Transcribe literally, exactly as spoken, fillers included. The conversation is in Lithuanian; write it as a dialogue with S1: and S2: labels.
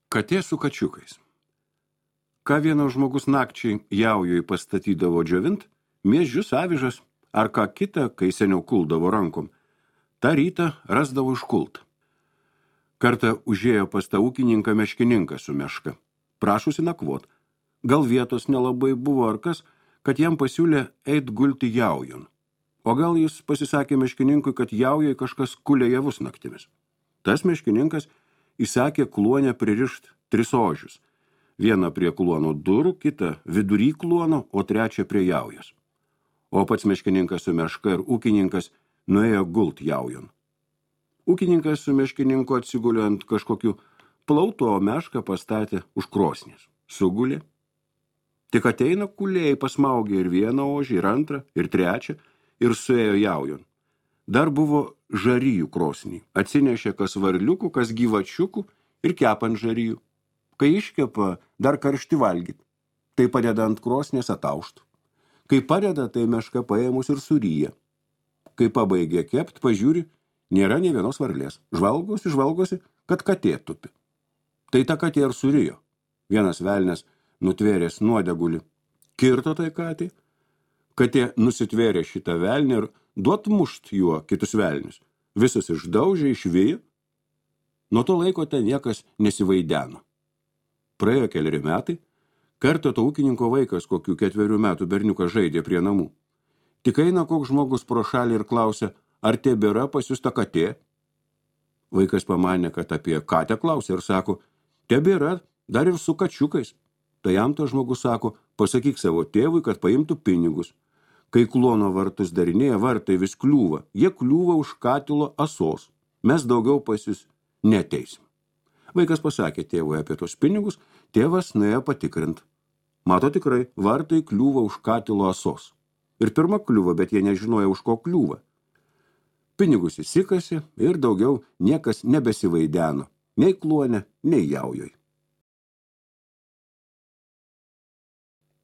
S1: Katė su kačiukais. Ką vienas žmogus nakčiai jaujui pastatydavo džiovint, miežius, avižas ar ką kitą, kai seniau kuldavo rankom, tą rytą rasdavo iškult. Kartą užėjo pas tą ūkininką meškininką su meška. Prašusi nakvot. Gal vietos nelabai buvo ar kas, kad jam pasiūlė eit gulti jaujon. O gal jis pasisakė meškininkui, kad jaujai kažkas kulė javus naktimis. Tas meškininkas įsakė kluonę pririšt tris ožius. Vieną prie kluono durų, kitą vidury kluono, o trečią prie jaujos. O pats meškininkas su meška ir ūkininkas nuėjo gult jaujon. Ūkininkas su meškininku atsigulė ant kažkokių plautų, o mešką pastatė už krosnės. Sugulė. Tik ateina kulėjai, pasmaugė ir vieną ožį, ir antrą, ir trečią, ir suėjo jaujon. Dar buvo žaryjų krosnį. Atsinešė kas varliukų, kas gyvačiukų ir kepant žaryjų. Kai iškepa, dar karšti valgyt. Tai padeda ant krosnės atauštų. Kai padeda, tai meška paėmus ir suryja. Kai pabaigė kept, pažiūri, nėra nė vienos varlės. Žvalgosi, žvalgosi, kad katė tupi. Tai ta katė ir surijo. Vienas velnes nutvėręs nuodegulį. Kirto tai katė. Katė nusitvėrė šitą velnį ir duot mušt juo kitus velnius. Visus išdaužė, išvijo. Nuo to laiko ten niekas nesivaideno. Praėjo keleri metai. Kartą to ūkininko vaikas, kokių ketverių metų berniukas žaidė prie namų. Tik eina koks žmogus pro šalį ir klausia, ar tebėra pas jus ta katė? Vaikas pamanė, kad apie katę klausia ir sako, tebėra, dar ir su kačiukais. Tai jam to žmogus sako, pasakyk savo tėvui, kad paimtų pinigus. Kai kluono vartus darinėja, vartai vis kliūva. Jie kliūva už katilo asos. Mes daugiau pas jus neteisim. Vaikas pasakė tėvui apie tos pinigus, tėvas nuėjo patikrint. Mato tikrai, vartai kliūva už katilo asos. Ir pirma kliūva, bet jie nežinoja, už ko kliūva. Pinigus įsikasi ir daugiau niekas nebesivaideno, nei kluone, nei jaujoj.